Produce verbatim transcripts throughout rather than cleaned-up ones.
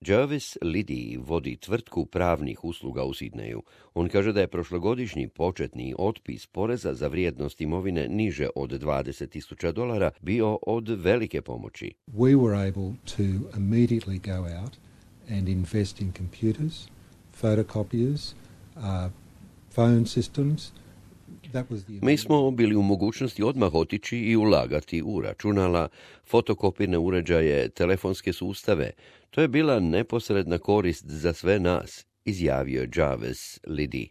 Jarvis Liddy vodi tvrtku pravnih usluga u Sidneju. On kaže da je prošlogodišnji početni otpis poreza za vrijednost imovine niže od dvadeset tisuća dolara bio od velike pomoći. We were able to immediately go out and invest in computers, photocopiers, uh, phone systems. Mi smo bili u mogućnosti odmah otići i ulagati u računala, fotokopirne uređaje, telefonske sustave. To je bila neposredna korist za sve nas, izjavio je Jarvis Liddy.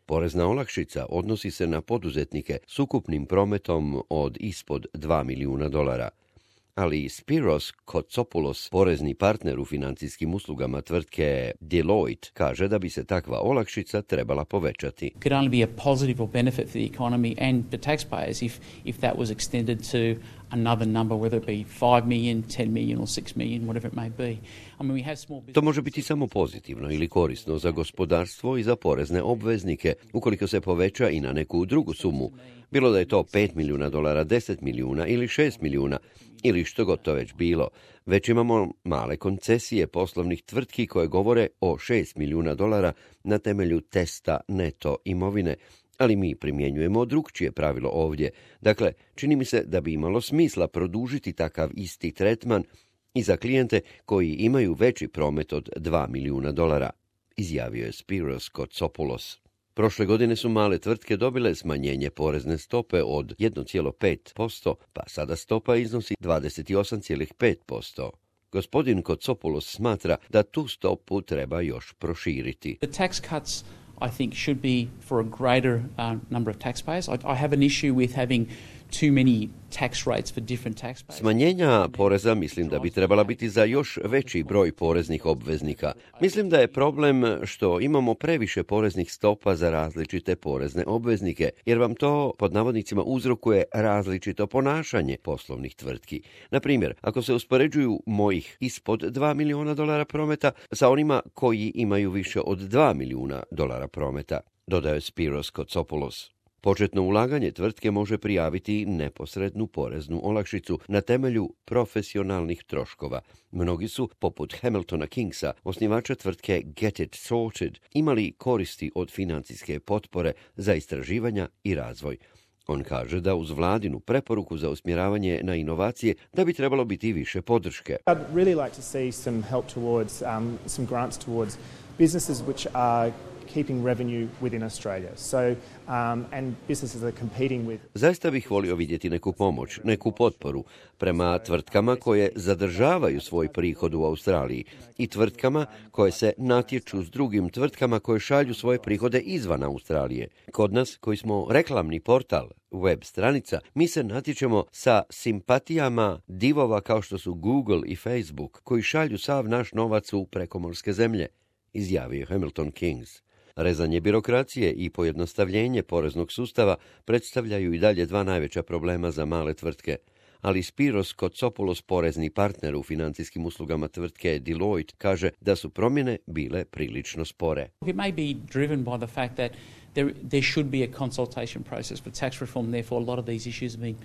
Porezna olakšica odnosi se na poduzetnike s ukupnim prometom od ispod dva milijuna dolara. Ali Spiros Kotsopoulos, porezni partner u financijskim uslugama tvrtke Deloitte, kaže da bi se takva olakšica trebala povećati. It could only be a positive or benefit for the economy and the taxpayers if, if that was extended to another number, whether it be five million, ten million or six million, whatever it may be. I mean, we have small businesses... To može biti samo pozitivno ili korisno za gospodarstvo i za porezne obveznike, ukoliko se poveća i na neku drugu sumu. Bilo da je to pet milijuna dolara, deset milijuna ili šest milijuna, ili što god to već bilo. Već imamo male koncesije poslovnih tvrtki koje govore o šest milijuna dolara na temelju testa neto imovine, ali mi primjenjujemo drugčije pravilo ovdje. Dakle, čini mi se da bi imalo smisla produžiti takav isti tretman i za klijente koji imaju veći promet od dva milijuna dolara, izjavio je Spiros Kotsopoulos. Prošle godine su male tvrtke dobile smanjenje porezne stope od jedan zarez pet posto, pa sada stopa iznosi dvadeset osam zarez pet posto. Gospodin Kotsopoulos smatra da tu stopu treba još proširiti. The tax cuts, I think, should be for a greater uh, number of taxpayers. I, I have an issue with having too many tax rates for different taxpayers. Smanjenja poreza mislim da bi trebala biti za još veći broj poreznih obveznika. Mislim da je problem što imamo previše poreznih stopa za različite porezne obveznike, jer vam to pod navodnicima uzrokuje različito ponašanje poslovnih tvrtki. Na primjer, ako se uspoređuju mojih ispod dva milijuna dolara prometa sa onima koji imaju više od dva milijuna dolara prometa, dodaje Spiros Kotsopoulos. Početno ulaganje tvrtke može prijaviti neposrednu poreznu olakšicu na temelju profesionalnih troškova. Mnogi su, poput Hamiltona Kingsa, osnivača tvrtke Get It Sorted, imali koristi od financijske potpore za istraživanja i razvoj. On kaže da uz vladinu preporuku za usmjeravanje na inovacije da bi trebalo biti više podrške. I'd really like to see some help towards um, some grants towards businesses which are keeping revenue within Australia. So, um, and businesses are competing with... Zaista bih volio vidjeti neku pomoć, neku potporu prema tvrtkama koje zadržavaju svoj prihod u Australiji i tvrtkama koje se natječu s drugim tvrtkama koje šalju svoje prihode izvan Australije. Kod nas, koji smo reklamni portal, web stranica, mi se natječemo sa simpatijama divova kao što su Google i Facebook, koji šalju sav naš novac u prekomorske zemlje, izjavio Hamilton Kings. Rezanje birokracije i pojednostavljenje poreznog sustava predstavljaju i dalje dva najveća problema za male tvrtke, ali Spiros Kotsopoulos, porezni partner u financijskim uslugama tvrtke Deloitte, kaže da su promjene bile prilično spore. It may be driven by the fact that there, there should be a consultation process for tax reform, therefore a lot of these issues have been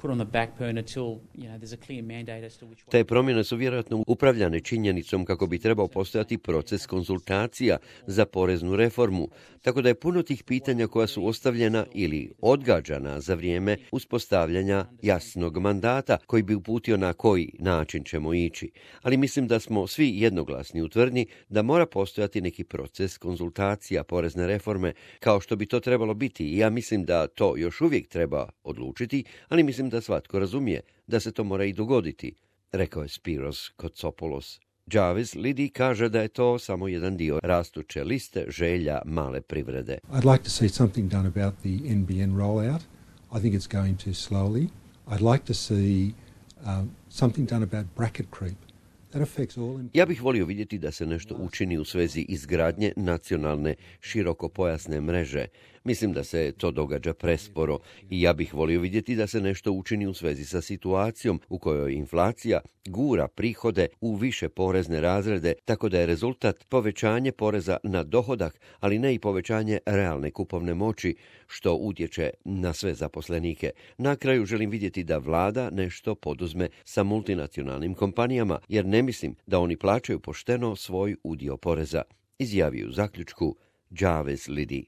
put on the back burner till, you know, there's a clear mandate as to which... Te promjene su vjerojatno upravljane činjenicom kako bi trebao postojati proces konzultacija za poreznu reformu, tako da je puno tih pitanja koja su ostavljena ili odgađana za vrijeme uspostavljanja jasnog mandata koji bi uputio na koji način ćemo ići. Ali mislim da smo svi jednoglasni u tvrdnji da mora postojati neki proces konzultacija porezne reforme kao što bi to trebalo biti i ja mislim da to još uvijek treba odlučiti, ali mislim da svatko razumije da se to mora i dogoditi, rekao je Spiros Kotsopoulos. Jarvis Liddy kaže da je to samo jedan dio rastuće liste želja male privrede. I'd like to see something done about the N B N rollout. I think it's going too slowly. I'd like to see um, something done about bracket creep. Ja bih volio vidjeti da se nešto učini u svezi izgradnje nacionalne širokopojasne mreže. Mislim da se to događa presporo i ja bih volio vidjeti da se nešto učini u svezi sa situacijom u kojoj inflacija gura prihode u više porezne razrede, tako da je rezultat povećanje poreza na dohodak, ali ne i povećanje realne kupovne moći, što utječe na sve zaposlenike. Na kraju želim vidjeti da vlada nešto poduzme sa multinacionalnim kompanijama, jer ne mislim da oni plaćaju pošteno svoj udio poreza, izjavio u zaključku Jarvis Liddy.